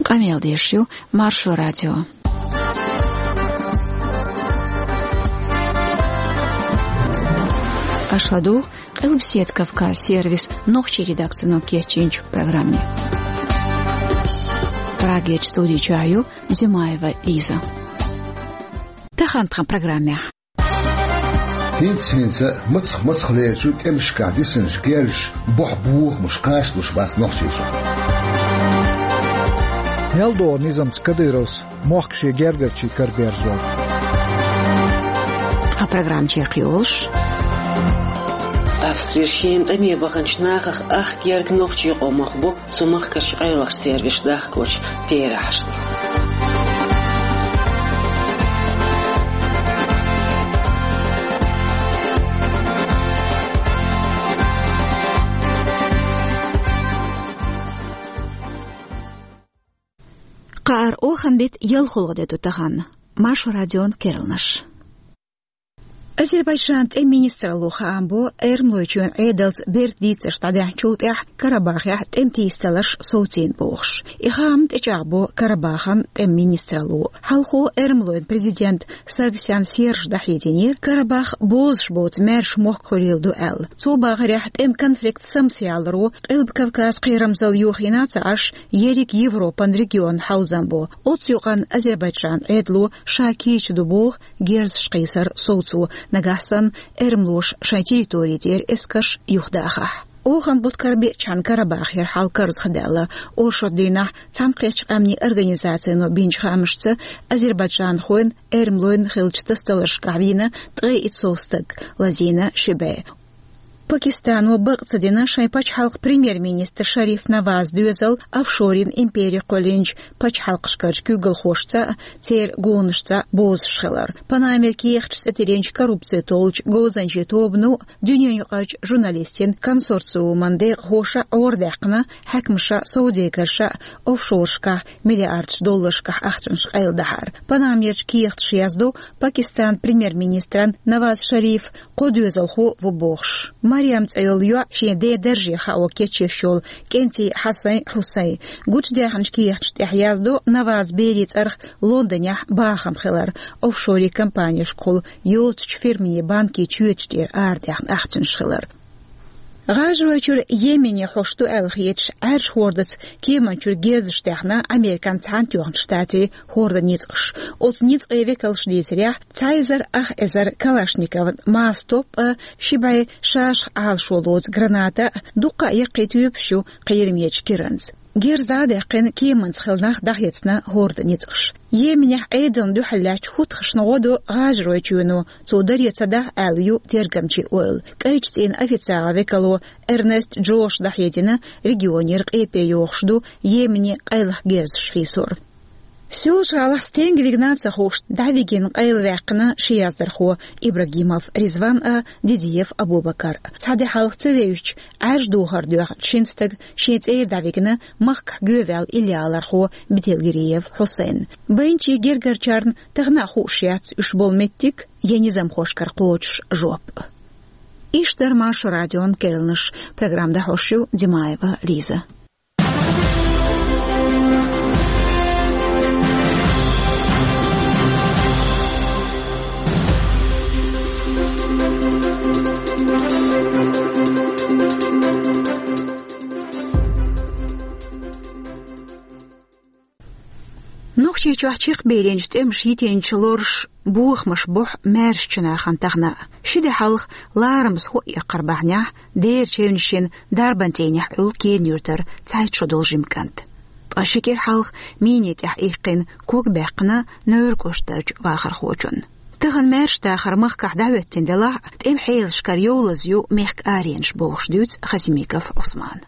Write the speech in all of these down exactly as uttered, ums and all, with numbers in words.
Къамел деш ю Маршо радио. Аша ладугӀу Къилбаседа Кавказ сервисан нохчийн редакцино кечйинчу программе. Прагерчу студи чохь ю Зимаева Лиза. Тахана тхан программехь. ХӀинца-хӀинца мацах-мацах лерчу тӀемашкахь дисинчу герзаша бохь бохамаш кхачалуш бац Нохчийчохь. Мел догӀу низамца Кадыровс мохк шен гергарчийн кара берзор? Тхан программа чекхйолуш. Австрера шена тӀаме ваханчу нахах ах герга нохчийн къомах бу цу махкарчу къайлахчу сервисаша дахкочу терахьашца. Кхааран оханан беттан ялхолгӀа де ду тахана. Маршо радион керланаш. Азербайджанан тӀеман министралло хаам бо, Эрмалойчоьнан Ӏедалца берта дийцарш дӀадаьхьначул тӀаьхьа Карабахехь тӀеман тийсадаларш совцийна бохуш. И хаам тӀечӀагӀбо Карабахан тӀеман министралло. Хьалхо Эрмалойн президент Саргсян Сержа дӀахьединера, Карабах бозуш боцу маьрша мохк хуьлийла ду аьлла. Цо бахарехь, тӀеман конфликт самсаяларо Къилба Кавказ кхерамзалла йохийна а ца Ӏаш, ерриг Европан регионна хьовзам бо. Оццу юкъанна Азербайджанан Ӏедало ша кийча ду боху герзаш кхийсар совцо, нагахь санна эрмалоша шайн территори тӀера эскарш юхадахахь. Оханан бутт карабеачхьана Карабахера хьал карзахдаьлла. Оршот дийнахь Цхьаьнакхеттачу Къаьмнийн Организацино бинчу хаамашца, азербайджанхойн, эрмалойн хиллачу тасадаларшкахь вийна ткъе итт сов стаг, лазийна ши бӀе. Пакистано бакъ ца дина шайн пачхьалкхан премьер-министр Шариф Навазан доьзал офшорийн импери кхоьллинчу пачхьалкхашкарчу куьйгалхошца а, церан гонашца а бозуш хилар. Панамера кехаташ цӀе тиллинчу коррупци толлучу говзанчийн тобано а, дуьненаюкъарчу журналистийн консорциуман декъахоша а гӀорадаьккхина хьаькамаша а, совдегарша а офшорашкахь миллиардаш долларшкахь ахчанаш къайладахьар. Панамерчу кехаташа яздо, Пакистанан премьер-министран Наваз Шарифан кхо доьзалхо ву бохуш. Марьям цӀе йолу йоӀ шен ден дарже хао кечъеш йолу кӀентий Хьасан Хьусайн. Гучудаьхначу кехаташна тӀехь яздо Навазан берийн цӀарах Лондонехь бахам хилар, офшорийн компанешкахула йоцучу фирмийн банкийн чоьташ тӀера арадаьхна ахчанаш хилар. ГӀажаройчуьра Йемене хьош ду аьлла хеташ, Ӏаьржа хӀордаца кеманна чуьра герзаш даьхна Американ Цхьаьнатоьхначу Штатийн хӀордан ницкъаша. Оцу ницкъийн векалша дийцарехь, цхьа эзар ах эзар калашникован маса топ а, ши бӀе шашах Ӏалашо лоцу граната а, дуккха а яккхий тоьпаш ю кхерамечу киранца. Герз дӀа а даьккхина, кеманца хилла нах дӀахецна хӀордан ницкъаша. Йеменехь Ӏедална дуьхьал лаьттачу хӀутхашна гӀо до ГӀажаройчоьно, цо даре ца дахь аьлла ю тергамчийн ойла. КӀайчу цӀийнан официалан векало Эрнест Джоша дӀахьедина, регионера къепе йохуш ду Йемене къайлаха герзаш хийсор. Соьлжа-ГӀалахь стенга вигна а ца хууш, дӀавигина къайлаваьккхина ши яздархо Ибрагимов Ризван а, Дидиев Абубакар а. Цхьа де хьалха ца вевзачу Ӏаьржа духар доьхначу шина стага шен цӀера дӀавигна махкахь гӀеваьлла иллиалархо Бетелгириев Хьусайн. Байначийн гергарчарна тахана а хууш яц уьш болу меттиг я низамхошкара кхочуш жоп. Иштта дара Маршо радион керланаш. Программа дӀахьош ю Димаева Лиза. Нохчийчохь чекхбийлинчу тӀемаша йитинчу лоруш бохамаш бохьу маьршачу нахана тахана. Ши де хьалха ларамаза хӀоъ яккхар бахьанехь, дера чевнашшина дарбан цӀийнехь Ӏуьллу Кенан-Юьртара цхьайтта шо долу жима кӀант. Ткъа ши кӀира хьалха мине тӀехь иккхина ког баьккхина Невран кӀоштарчу вахархочунна. Тахана маьрша дахар махкахь дӀахӀоьттина делахь а, тӀеман хьелашкара йовлаза ю мехкан аренаш бохуш дуьйцу Хасимиков Ӏусмана.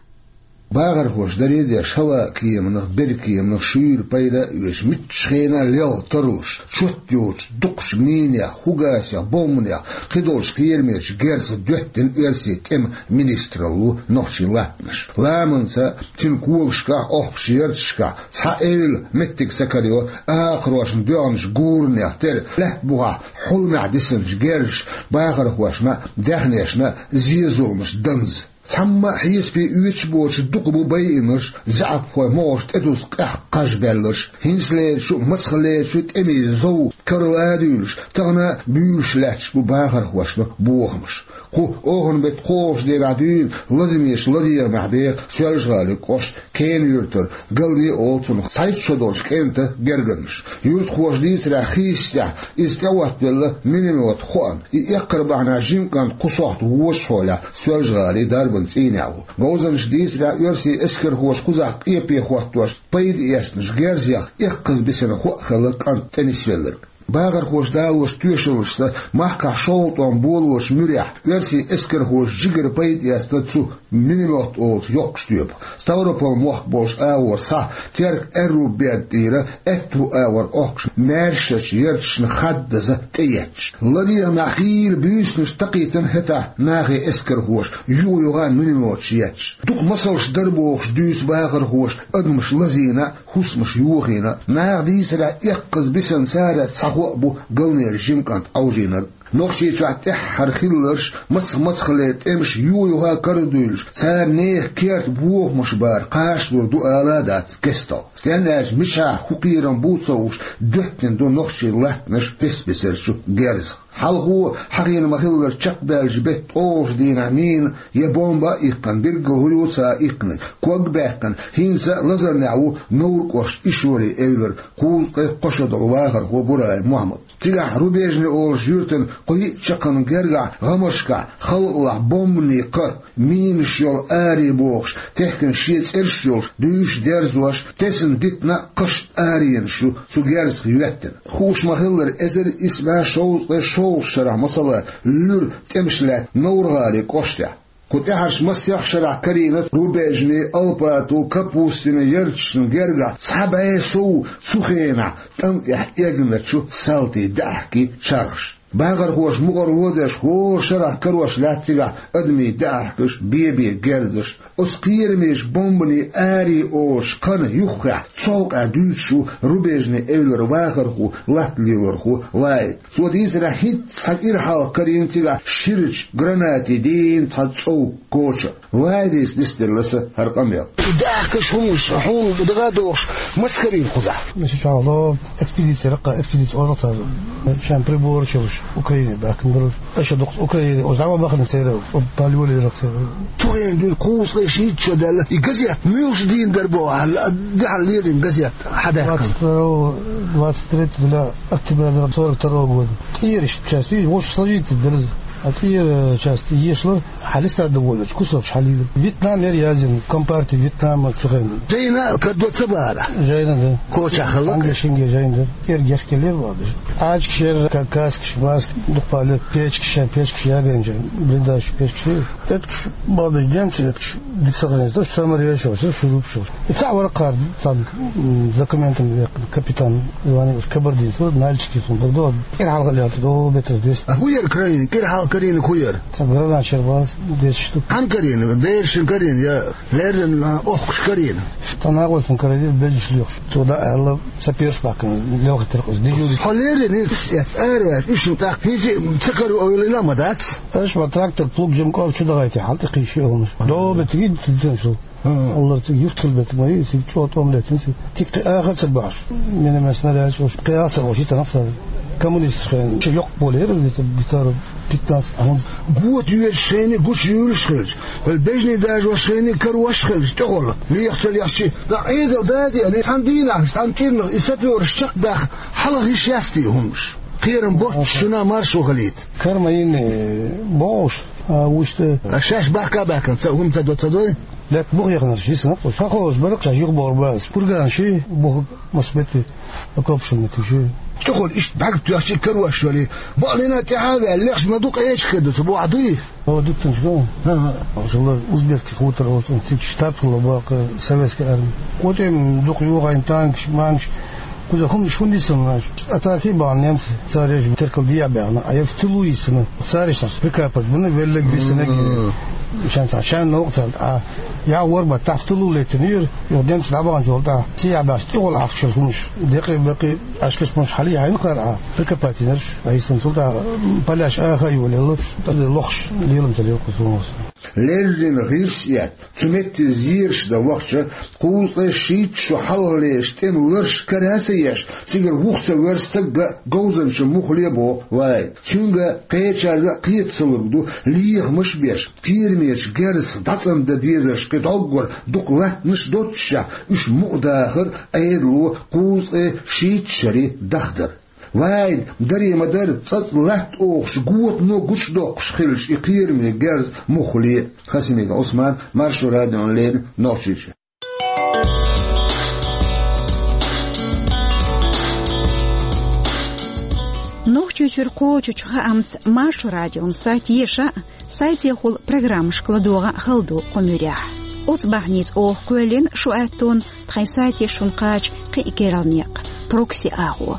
Бахархоша даре а деш, хӀаваан кеманах, берриг кеманах шуьйра пайда а оьцуш, муьлххачу хенахь лелха тарлуш, чот йоцуш, дукхачу минех, фугасех, бомбанех, кхидолчу кхерамечу герзах доьттина оьрсийн тӀеман министралло нохчийн латтанаш. Ламанца, цуьнан когашкахь, охкучу ярташкахь цхьа эвла меттиг ца карайо, акхарошна доьгӀначу гуранех тера, лаьтта бухахь хьулмехь дисинчу герзаша бахархошна а, даьхнешна а зе-зуламаш данза. Цхьамма а хьесапе оьцуш боцуш дукха бу байинарш, заьӀапхойн могӀарш тӀедуза къаьхьа кхаж баьлларш, хӀинцалерачу а, мацхалерачу а тӀемийн зов карла а дуьйлуш, тахана а буьйлуш лаьтташ бу бахархошна бохамаш. Кху оханан беттан кхоалгӀачу дийнахь дуьйна Лазамечу ладегӀамехь беха Соьлжа-ГӀалин кӀоштан Кена-Юьртара Галне олу цунах цхьайтта шо долчу кӀентан гергарнаш. Юьртахоша дийцарехь, хийцачу тӀехь иза тӀеӀоттавелла миномет хоам, и эккхар бахьанехь жима кӀант кху сохьта вочу хьолехь Соьлжа-ГӀалин дарбан цӀийнехь ву. Говзанчаша дийцарехь, оьрсийн эскархоша кхузахь къепе хӀоттош пайда эцначу герзех эккхаза бисина хӀоъ хилла кӀант тӀенисвелларг. Бахархоша далочу тоьшаллашца, махкахь шолгӀа тӀом болочу муьрехь оьрсийн эскархоша жигара пайда эцна цу миномет олучу йоккхачу тоьпах. Ставрополь мохк болчу агӀор схьа Терк-Аьрру берда тӀера аьтту агӀор Ӏохкуш маьршачу ярташна хаддаза тӀеетташ. ЛадегӀамехь хийла буьйсанаш такхийтина хӀетахь нахе эскархоша, юха-юха минометаш етташ. Дукха масалш дара бохуш дуьйцу бахархоша адамаш лазийна а, хӀусамаш йохийна а. Наха дийцарехь, эккхаза бисина царах цхьа хӀоъ бу Галнера жима кӀант Ӏовжийнарг. Нохчийчохь тӀаьххьара хилларш, мацах-мацхалера тӀемаш юха-юха карадуьйлуш, цара нехан керта бохамаш бар кхачалур ду ала а дац кестта. Стенна аьлча, мичахь, хӀун кхерам бу ца хууш, дуьттина ду нохчийн латтанаш пес-песарчу герзах. Хьалхо, хьахийна ма-хиллара, чекхбаьллачу беттан ткъолгӀачу дийнахь мина я бомба а иккхина, билггал хӀун ю ца иккхинарг, ког а баьккхина, хӀинца а лазарнехь ву Невран кӀоштан Ишори-Эвлара кхузткъе кхо шо долу вахархо Бураев Мохьмад. Цигахь Рубежный олучу юьртан кхо-йиъ чаккхарма гергахь гӀамашкахь, халкъалахь бомбанийн кхаъ, минаш йолу аре бохуш, техкина шен цӀераш йолуш, дуьйш дерзош, тесна дитина а кхаш аренаш ю цу герзах йоьттина. Хууш ма-хиллара, эзар исс бӀе шовзткъе шолгӀачу шарахь, масала, луьра тӀемаш лаьтта Невран-ГӀалин кӀоштехь. Кху тӀаьхьарчу масех шарахь карийна Рубежный, Алпатово, Капустино ярташна гергахь цхьа бӀе сов цу хенахь тӀам тӀехь эгначу салтийн даьӀахкийн чархаш. Бахархоша мукъарло а деш, хӀора шарахь карош лаьтта цигахь адамийн даьӀахкаш, бен-бен герзаш. Оцу кхерамечу бомбанийн аре олучу кхана юххехь цхьа къа дуьйцуш ву Рубежный-Эвлара вахархо, латта лелорхо Ваид. Цо дийцарехь, хӀинцца цхьа кӀира хьалха карийна цигахь ширачу гранатийн дийна цхьа цӀов коча. Ваидис нисделла сан хӀара къамел. И даьӀахкаш, хӀуманаш хьуна дага а догӀуш, маса карийна кхузахь? Ша чохь ло, экспедици, раккха экспедици олу цара, шайн прибораш йолуш, Украине баьхкина долуш. Аша дукха Украине, оцу дӀа ма бахана церан, пале лелира церан. Цу хенахь дуьйна кхузткъе шийтта шо даьлла, и газета муьлш дийна дара боху, хьан, дехьа лелийна газета хьан даьккхина? Двадцать второго, двадцать третьего октября сорок второго года. ТӀера иштта часть, и вовшах сложить дара. А тӀера часть ешалара, хьан листа довольно, кусок хьалийра. Вьетнам яра яздина, компартия Вьетнама цу хенахь. Жайна кадо ца бара? Жайна, да. Кочахь хала? Англия шинге жайна, да. ТӀера гехкеллера вадаш. Ӏачкаш яра, ка-, каскаш, маскаш, дукха пале, печкаш, шайн печкаш ягайна жайна. Блиндаж печкаш яра. Эткаш бадаш, денца эткаш, дика сохранить, то, что саморез шо, всё, шурупаш шо. И цхьа вара кхара, цхьа, м, документами веккхина капитан Иванович Кабардинцев, нальчикец ву, дагадогӀу, кӀира хьалха лелла, до метр двести. А хӀун яра карийна? КӀира хьалха карийнарг хӀун яра? Цхьа гранат шарбас, десять штук. Хьан карийна? Берашна карийна я леррина охкуш карийна? Цхьа накъостана карийна, бежаш лоьхуш. Цо дӀа аьлла, сапераш баьккхина, лелхийтира кхуза, дежурить. Хьо леррина иза эцна, ара ваьлча, уьш тӀаккха хӀинца а ца каро ойла йина а ма дац? Аша ма трактор, плуг, жима кӀорга чу дахийта, хьал тӀе кхийша хӀуманаш. До метр гин, цига цӀена шу. Аллара цига юхтал бетиг ма ю, цига чӀогӀа тӀом летина цига. Цига кхин аха а ца бахьаш. Миномет, снарядаш, кхин аха а ца бахьаш, и танах цара. Коммунисташ хенахь, ши йоккха поле яра, где-то гектаров пятнадцать, а хӀунда. Гота йоьдуш хенахь, гуча юьйлуш хилча. Хьал бежний дажош хенахь, карош хилча, тӀехула. Меха ца лехча, дӀа Ӏедал дадиъна, цхьана дийнахь, цхьана кӀирнах, и сапераш чекхбаьхна, хьалха йиш яц те хӀуманаш. Кхерам боццуш шуна маршо хилийта. Кара ма йина, бохуш, а вуьшта. А шаьш бахка а баьккхина, ца хӀума ца до, ца дой? Лаьтта бух яханарш йисина кхуза. Схьаховшаш бара, шаьш юхабохур бац. Курган ши, бух мас метр, окоп ши метр ши. ТӀехула иштта бӀаьрг тоьхча карош валий. Бакълина тӀаьхьа а ваьлла, лехча ма ду, къеча хир ду, ца бохьа дуй? О, дуккханаш ган. ХӀан-хӀа. Узбекский хутор, оцу цига штаб хула бакъ советской армии. КъотӀем дукха йохийна танкаш, манкаш. Кхуза хӀуманаш хӀунда йисина аша? Атака а бахьана немцаша, цара еш теркал дехьа баьхна, а я в тылу йисина. Цара иштта прикапать бина, веллаг висина. Мгм. Шен цхьа, шен новкъа цара тӀе. Я вор бан тӀе в тылу летина юр, юха немцаша дӀабаханчул тӀаьхьа. Сехьа баьхча, тӀехула ахча хӀуманаш. Декъий-бекъий, ашкаш хӀуманаш хьалийхьийна кхара а. Прикапать йинарш, а йисина цул тӀаьхьа, поляш аха а йолаелла, лохуш лелам ца лелла кхуза хӀуманаш. Леррина гӀирс а эцна, цу метте зераш дан вахча, кхузткъе шийтта шо хьалхалерча тӀеман лараш кара а ца еш, цигара вуха ца верза стаг а говзанчун муххале а боху вай. Цуьнга кхечаьрга а кхета ца лург ду, лехамаш а беш, керамечу герзах дӀацӀандан дезарш кхин дӀоггара дукха латтанаш а доццушехь, уьш мукъадахар а Ӏедало кхузткъе шийтта шаре дахдар. Вайна даре ма-дарра цӀацӀа латта охуш, готано гучудоккхуш хилча и кхераме герз муххале а. Хасимиков Ӏусман, Маршо радиона леррина, Нохчийчоь. Нохчийчуьра кхочучу хаамца Маршо радион сайт еша а, сайтехула программашка ладогӀа а хала ду кху муьрехь. Оцу бахьаница оха кхоьллина шун аьттонна тхайн сайте шуна кхача кхин а керла некъ, прокси агӀо.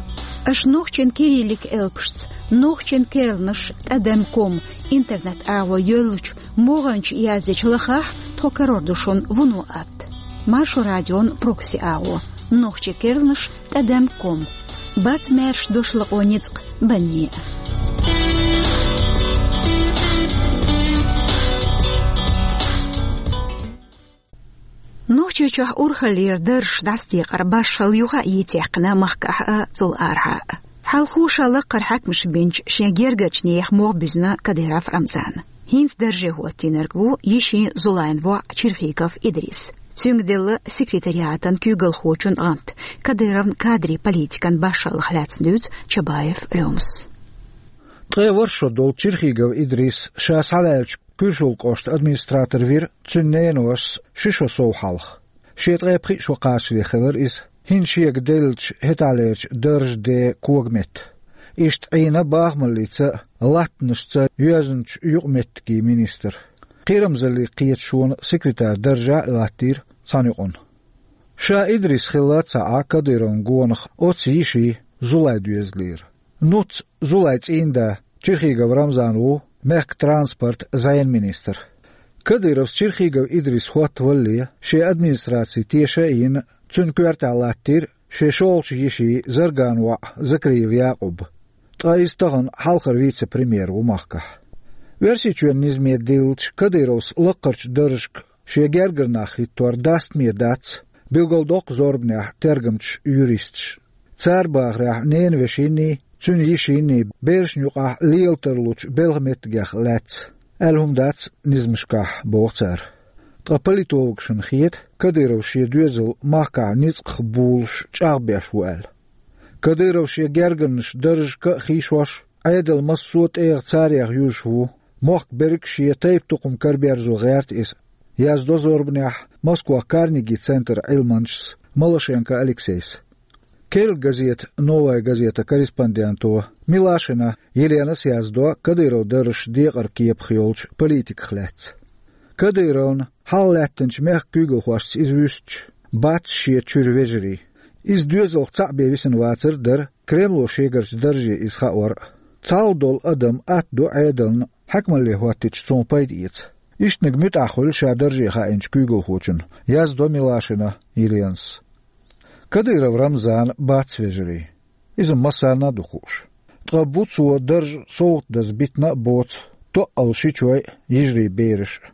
Аша нохчийн кириллик элпашца, нохчийн керланаш тӀадам ком интернет агӀо йоьллучу могӀанчу яздечу лахахь, тхо карор ду шуна вуно атта. Маршо радион прокси агӀо, нохчийн керланаш тӀадам ком. Бац маьрша дош лакъо ницкъ банне а. Нохчийчохь урхаллера даржаш дӀасадекъар башхалла юха а йийцаяккхина махкахь а, цул арахьа а. Хьалхо ша лакхара хьаькамаш бинчу шен гергарчу нехан могӀа буьзна Кадыров Рамзана. ХӀинца дарже хӀоттийнарг ву йишин Зулайн воӀ Черхигов Идрис. Цуьнга делла секретариатан куьйгалхочун гӀант, Кадыровн кадрийн политикан башхаллах лаьцна дуьйцу Чабаев Лёмас. Ткъе ворхӀ шо долу Черхигов Идрис ша схьаваьллачу Куьршул кӀоштан администратор вира цуьнан ненавасас ши шо сов хьалха. Шен ткъе пхиъ шо кхачале хилира иза, хӀинца шега деллачу хӀетахьлерчу даржан ден когаметта. Иштта Ӏийна бахамаллица а, латтанашца а йоьзначу юкъаметтигийн министр. Кхерамзаллин кхеташонан секретарь даржехь а латтийра цхьана юкъана. Ша Идрис хилла ца Ӏа Кадыровн гонах оцу йишин Зулайн доьзалера. Нуц Зулайн цӀийнда Черхигов Рамзан ву мехкан транспортан зӀенан министр. Кадыровс Черхигов Идрис хӀоттавалале, шен администраци теша а йина, цуьнан коьртехь латтийра шен шолгӀачу йишин Зарган воӀ Закриев Якъуб. Ткъа иза тахана хьалхара вице-премьер ву махкахь. Оьрсийчоьнан низаме диллича, Кадыровс лаккхарчу даржашка шен гергара нах хӀиттор дастаме дац, билгалдоккху зорбанехь тергамчаша, юристаша. Цара бахарехь, ненавешинний, цуьнан йишинний берашна юкъахь лела тарлучу белхан меттигех лаьцна аьлла хӀума дац низамашкахь, боху цара. Ткъа политологашна хета, Кадыровс шен доьзал махкахь ницкъах булуш чӀагӀбеш ву аьлла. Кадыров шен гергарнаш даржашка а хийшош, Ӏедал массо а тӀегӀа царех юзуш ву, мохк берриг шен тайп-тукхам караберзо гӀерта иза, яздо зорбанехь Москвахь Карнеги центран Ӏилманчас Малашенко Алексейс. Керла газета «Новая газета» корреспонденто Милашина Еленас яздо Кадыровн даржашна декъаран кепах йолчу политиках лаьцна. Кадыровна хьалха лаьттинчу мехкан куьйгалхошца иза вуьстича, бац шен чуьра вежарий. Иза доьзалх цхьаъ бен висина вацар а дара, Кремло шегарчу дарже иза хаор а. Цхьалха долу адам атта ду Ӏедална, хьаькамалле хӀоттийча цунах пайда эца. Иштаниг муьтӀахь хуьлу ша дарже хаийначу куьйгалхочунна, яздо Милашина Еленас. Кадыров Рамзана бац вежарий. Иза массарна а ду хууш. Ткъа бу цо дарж совгӀатдаза битина а боцу тоъал шичой а, йижарийн бераш а.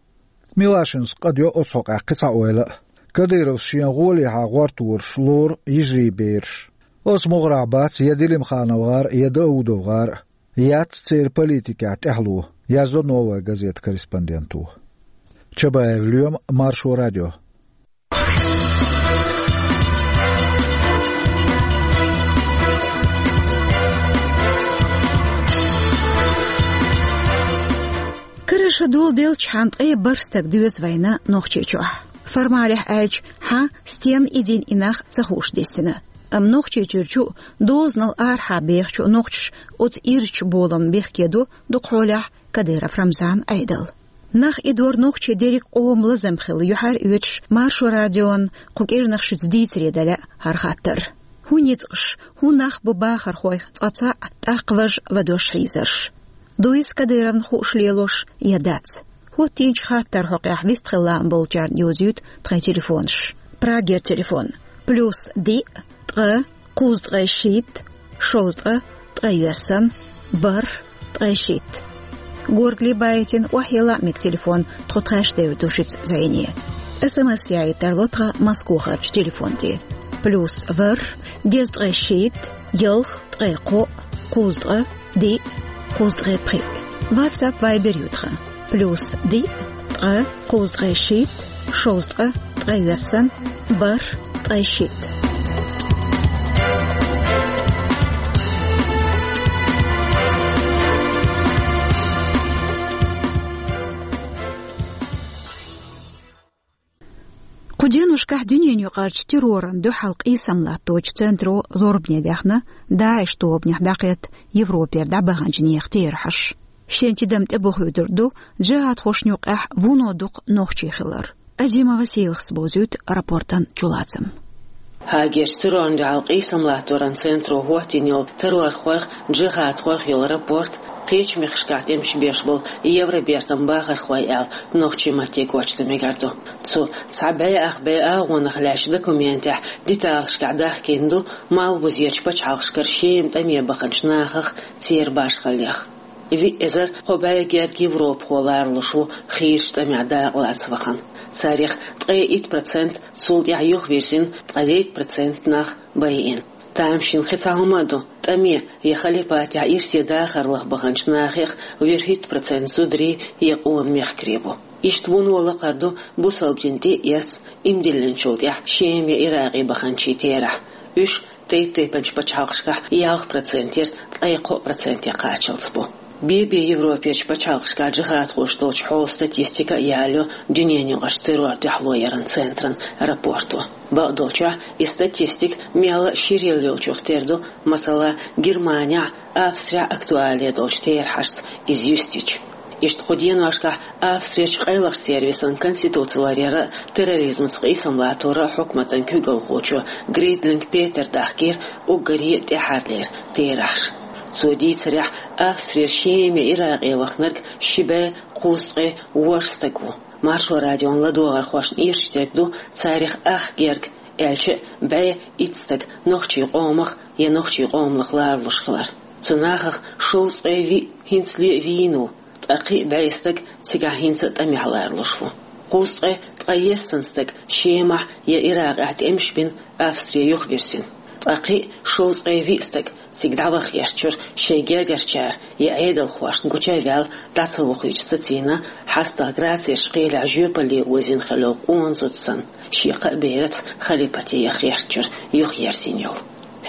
Милашинас къадйо оцу хьокъехь кхин цхьа ойла а. Кадыровс шена гӀолехьа гӀортораш лору йижарийн бераш. Оцу могӀарехь бац я Делимханов гӀар а, я Даудов гӀар а. Яц церан политикехь тӀаьхьало, яздо «Новая газета» корреспонденто. Чабаев Лоьма, Маршо радио. Карара шо доладелчхьана ткъе бархӀ стаг доьзна вайна Нохчийчохь. Формалехь аьлча, хьан стенна идина и нах ца хууш дисина. Амма Нохчийчуьра чу а, дозанал арахьа бехачу а нохчаша оцу ирчачу боламна бехке до дукхахьолехь Кадыров Рамзанан Ӏедал. Нах идор нохчийн дерриг къоман лазам хилла юьхьар а оьцуш, Маршо радион кху кӀирнах шуьца дийцаре дан лаьа хӀара хаттар. ХӀун ницкъаш, хӀун нах бу бахархойх цкъа цхьаъ, тӀаккха важа ва дош хьийзарш? Дуй иза Кадыровна хууш лелош я дац? ХӀоттийначу хаттаран хьокъехь вистхила лаам болчарна йовзуьйту тхайн телефонаш. Прагера телефон: плюс диъ, ткъа, кхузткъе шийтта, шовзткъа, ткъе йоьссан, бархӀ, ткъе шийтта. Горгали байтина охьайилла мега телефон, тхо тхаьш девр ду шуьца зӀене. СМС яийта тарло тхан Москвахарчу телефон тӀе: плюс ворхӀ, дезткъе шийтта, ялх, ткъе кхоъ, кхузткъа, диъ, кхузткъе пхиъ. WhatsApp, Viber ю тхан: плюс диъ, ткъа, кхузткъе шийтта, шовзткъа, ткъе виссана, бархӀ, ткъе шийтта. Кху деношкахь дуьненаюкъарчу террорна дуьхьал къийсам латточу центро зорбане даьхна ДАИШ тобанехь дӀакхетта Европера дӀабаханчу нехан терахьаш. Шен тидам тӀебохуьйтур ду джихадхошна юкъахь вуно дукха нохчий хилар. Азимова Сийлахас бовзуьйту рапортан чулацам. Гаагерчу террорна дуьхьал къийсам латторан центро хӀоттийна йолу террорхойх, джихадхойх йолу рапорт, кхечу мехкашкахь тӀемаш беш болу Евробертан бахархой аьлла нохчийн матте гочдан мегар ду. Цу цхьа бӀе ах бӀе агӀонах лаьцначу документехь деталашкахь дахкийна ду Малхбузерчу пачхьалкхашкара Шема тӀаме баханчу нахах, церан башхаллех. Виъ эзар кхо бӀе герга европахо ларалуш ву хийрачу тӀамехь дакъалаца вахана. Царах ткъе итт процент цул тӀаьхьа юхавирзина, ткъе дейтта процент нах байина. Тамашийна кхин цхьа хӀума а ду: тӀаме я халипатехь ирсе дахарлах баханчу нахах вуьрхӀитта процент зударий я къона мехкарий бу. Иштта вуно лакхара ду бусалба дин тӀе а эцна, иман диллинчул тӀаьхьа Шема я Иракъе баханчийн терахь. Уьш тайп-тайпанчу пачхьалкхашкахь ялх процентера ткъе кхоъ проценте кхаччалц бу. Бен-бен Европерчу пачхьалкхашкахь джихадхоша долчу хьолан статистика а ялайо дуьненаюкъарчу террор дуьхьало яран центран рапорто. Бакъдолчохь, и статистика мелла а ширъелла йолчух тера ду, масала, Германехь, Австрехь актуале долчу терахьашца иза юьстича. Иштта кху деношкахь Австрерчу къайлахчу сервисан конституци ларъяран а, терроризмаца къийсам латторан а хьукматан куьйгалхочо Гридлинг Петера дахкийра уггаре а тӀаьхьарлера терахьаш. Цо дийцарехь, Австрера Шема я Иракъе вахнарг ши бӀе кхузткъе ворхӀ стаг ву. Маршо радион ладогӀархошна ирча дерг ду, царах ах герга, аьлча а бӀе итт стаг нохчийн къомах я нохчийн къомах ларалуш хилар. Цу нахах шовзткъе виъ хӀинцале а вийна ву, ткъа кхин а бӀе стаг цигахь хӀинца а тӀамехь ларалуш ву. Кхузткъе ткъайесна стаг Шемахь я Иракъехь тӀемаш бина, Австре юхавирзина. Ткъа кхин а шовзткъе виъ стаг цига дӀаваха гӀертачуьра шайн гергарчара я Ӏедалхошна гуча а ваьлла, дӀа ца вохуьйтуш сацийна, хьастагӀа Грацерчу кхелехь жоьпалле озийна хилла йолу къона зуда санна, шен кхаа бераца халипате яха гӀертачуьра юхаерзийна йолу.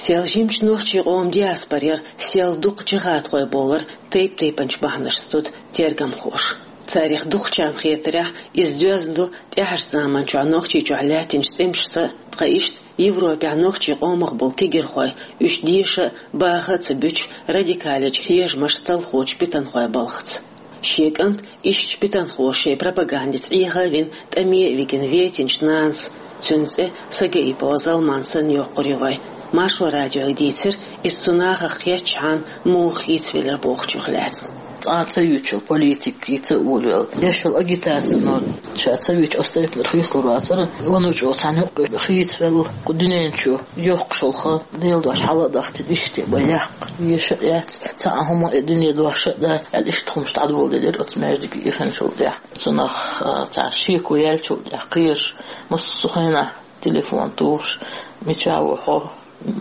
Сел жимачу нохчийн къоман диаспорера, сел дукха джихадхой бовлар тайп-тайпанчу бахьанашца ту тергамхоша. Царах дукхачарна хетарехь, иза доьзна ду тӀаьхьарчу заманчохь Нохчийчохь лаьттинчу тӀемашца, ткъа иштта Европехь нохчийн къомах болу кегирхой, уьш деша а, баха а ца буьтуш, радикалечу хьежамашца талхочу питанхойн балхаца. Шен кӀант ишттачу питанхоша шайн пропагандица Ӏеха а вина, тӀаме а вигина вейтинчу нанас, цуьнан цӀе Сагаипова Залман санна йоккхур ю вай, Маршо радиога дийцира иза цу нахах кхеттачхьана муха хийцавелира бохучух лаьцна. Цкъа а ца юьйцуш йолу политика, хийца а волавелла, деш йолу агитаци, но ша ца вийча оцу тайпанара хийцалур вацара, ванучу оцу цхьана юкъа хийцавелла, кху дуьнен чу йоккхуш йолу хан, Делан дош хьала а дахтина, иштта бан яккха, еша а яц, цхьа а хӀума и дуьне дош а дац, аьлла, иштта хӀумаш дӀадоладелира оцу маьждиге ихначул тӀаьхьа. Цунах, а, цара шеко яьллачул тӀаьхьа кхераш, массо а хенахь телефон тухуш, мича ву хьо,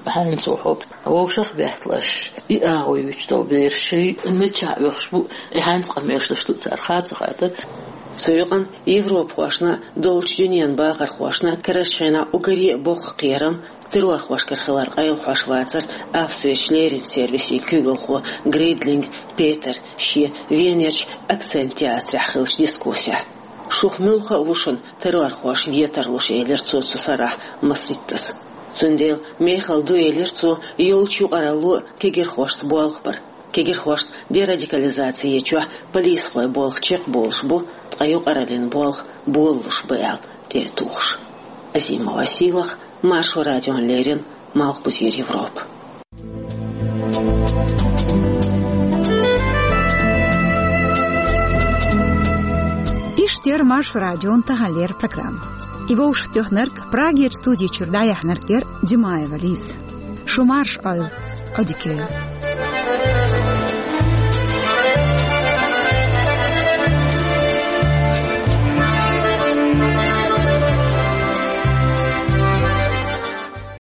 хьаьнца ву хьо, вовшах а бетталаш, и агӀо юьйцуш долу бераш, шаьш мичахь оьхуш бу, и хьаьнца къамелаш деш ду цара, хаа ца хаьттара. Цу юкъана европахошна, долчу дуьненан бахархошна карарчу хенахь уггаре а боккха кхерам террорхошкара хилар къайлахьош вацара Австрерчу леррина сервисан куьйгалхо Гридлинг Петера шен Венерчу «Акцент» театрехь хиллачу дискуссехь. Шух муьлхха а ву шуна террорхоша ветарлуш, элира цо цу сарахь Масриттас. Цундела мехала ду, элира цо, йолчу юкъаралло а кегирхошца болх бар. Кегирхошна дерадикализаци ечохь полисхой болх чекхболуш бу, ткъа юкъараллин болх болалуш бу аьлла тӀе а тухуш. Азимова Сийлахь, Маршо радиона леррина, Малхбузера Европа. Иштта яра Маршо радион таханлера программа. И вовшахтоьхнарг, Прагерчу студи чуьра дӀаяьхьнарг яра Димаева Лиза. Шу марша Ӏойла, Ӏодика йойла.